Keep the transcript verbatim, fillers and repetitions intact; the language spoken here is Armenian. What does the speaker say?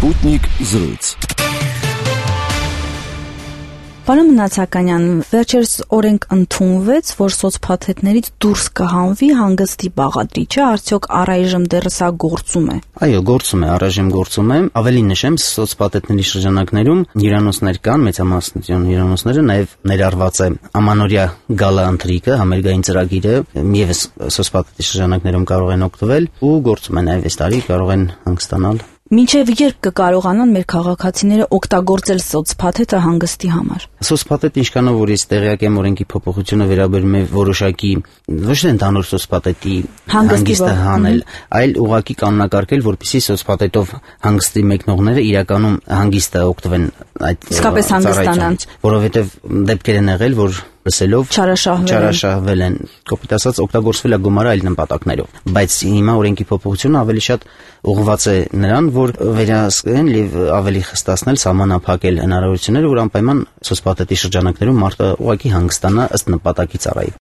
Sputnik զրույց։ Պարոն Մնացականյան, վերջերս օրենք ընդունվեց, որ սոցփաթեթներից դուրս կհանվի հանգստի բաղադրիչը, արդյոք առայժմ դեռ սա գործում է։ Այո, գործում է, առայժմ գործում է։ Ավելի նշեմ, սոցփաթեթների շրջանակներում հյուրանոցներ կան, մեծամասնություն հյուրանոցները, նաև ներառված է ամանորյա գալա ընթրիկը, համերգային ծրագիրը, ևս սոցփաթեթի շրջանակներում կարող են օգտվել ու գործում է նաև այս տարի կարող են հանգստանալ։ Մինչև երբ կկարողանան մեր քաղաքացիները օգտագործել սոցփաթեթը հանգստի համար։ Սոցփաթեթը ինչքանով որ ես տեղյակ եմ, օրենքի փոփոխությունը վերաբերում է որոշակի ոչ թե ընդհանուր սոցփաթեթի հանգստը հանել, այլ ուղղակի կանոնակարգել, որպեսզի սոցփաթեթով հանգստի մեկնողները իրականում հանգիստը օգտվեն այդ իսկապես հանգստանան, որովհետև դեպքեր են եղել, որ լսելով չարաշահվել են, կոպիտ ասած օգտագործվել է գումարը այլ նպատակներով, բայց հիմա օրենքի փոփոխությունը ավելի շատ ուղղված է նրան, որ վերահսկեն եւ ավելի խստացնել, սահմանափակել հնարավորությունները, որ անպայման սոցփաթեթի շրջանակներում մարդը ուղղակի հանգստանա ըստ նպատակի ծառայի։